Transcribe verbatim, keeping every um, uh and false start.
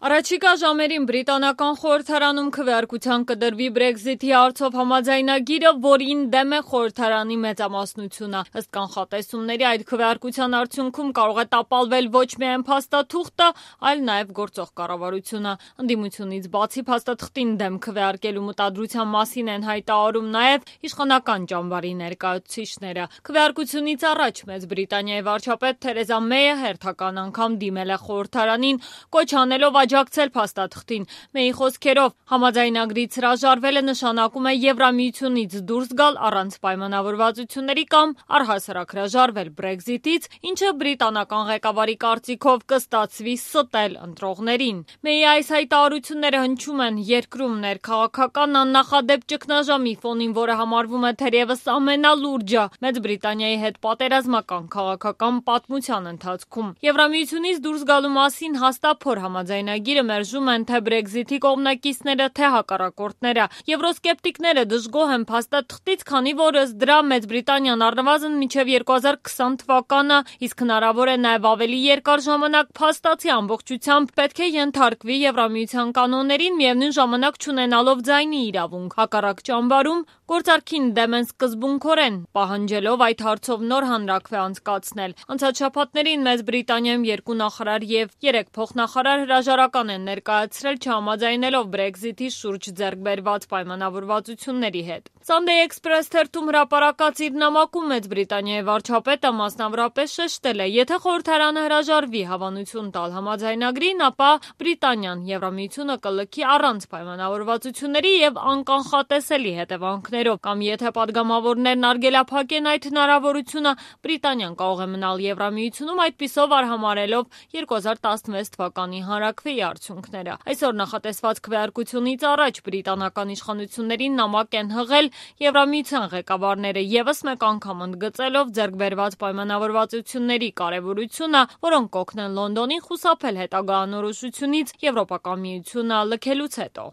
Առաջիկա ժամերին բրիտանական խորհրդարանում քվեարկության կդրվի Brexit-ի հարցով համաձայնագիրը, որին դեմ է խորհրդարանի մեծամասնությունը։ Ըստ կանխատեսումների, այդ քվեարկության արդյունքում կարող է տապալվել ոչ միայն փաստաթուղթը, այլ նաև գործող կառավարությունը։ Ընդդիմությունից բացի փաստաթղթին դեմ քվեարկելու մտադրության մասին են հայտարարում նաև իշխանական ճամբարի ներկայացուցիչները։ Քվեարկությունից առաջ Մեծ Բրիտանիայի վարչապետ Թերեզա Մեյը հերթական անգամ դիմել է խորհրդարանին, կոչ անելով աջակցել փաստաթղթին։ Մեյի խոսքերով, համաձայնագրից հրաժարվելը նշանակում է Եվրամիությունից դուրս գալ առանց պայմանավորվածությունների կամ առհասարակ հրաժարվել Brexit-ից, ինչը բրիտանական ղեկավարի կարծիքով կստացվի ստել ընտրողներին։ Մեյի այս հայտարարությունները հնչում են երկրում ներքաղաքական աննախադեպ ճգնաժամի ֆոնին, որը համարվում է թերևս ամենալուրջը Մեծ Բրիտանիայի հետ պատերազմական քաղաքական պատմության ընթացքում։ Եվրամիությունից դուրս գալու մասին հաստափոր համաձայնագիրը մերժում են թե Brexit-ի կողմնակիցները, թե հակառակորդները։ Եվրոսկեպտիկները դժգոհ են փաստաթղթից, քանի որ ըստ դրա Մեծ Բրիտանիան առնվազն մինչև երկու հազար քսան թվականը, իսկ հնարավոր է նաև ավելի երկար ժամանակ, փաստացի ամբողջությամբ պետք է ենթարկվի Եվրամիության կանոններին, միևնույն ժամանակ չունենալով ձայնի իրավունք։ Հակառակ ճամբարում գործարքին դեմ են սկզբունքորեն, պահանջելով այդ հարցով նոր հանրաքվե անցկացնել։ Անցած շաբաթներին Մեծ Բրիտանիայում երկու նախարար եւ երեք փոխնախարար հրաժարական են ներկայացրել, չհամաձայնելով Brexit-ի շուրջ ձեռք բերված պայմանավորվածությունների հետ։ Sunday Express թերթում հրապարակած իր նամակում Մեծ Բրիտանիայի վարչապետը մասնավորապես շեշտել է, եթե խորհրդարանը հրաժարվի հավանություն տալ համաձայնագրին, ապա Բրիտանիան Եվրամիությունը կլքի առանց պայմանավորվածությունների եւ անկանխատեսելի հետևանքներով, կամ եթե падգամավորներն արգելափակեն այդ հնարավորությունը, Բրիտանիան կարող է մնալ Եվրամիությունում, այդպիսով արհամարհելով երկու հազար տասնվեց թվականի հանրաքվեի արդյունքները։ Այսօր նախատեսված քվեարկությունից առաջ բրիտանական իշխանություններին նամակ են հղել Եվրամիության ղեկավարները, ևս մեկ անգամ ընդգծելով ձեռք բերված պայմանավորվածությունների կարևորությունը, որոնք կօգնեն Լոնդոնին խուսափել հետագա անորոշությունից Եվրոպական միությունը լքելուց հետո։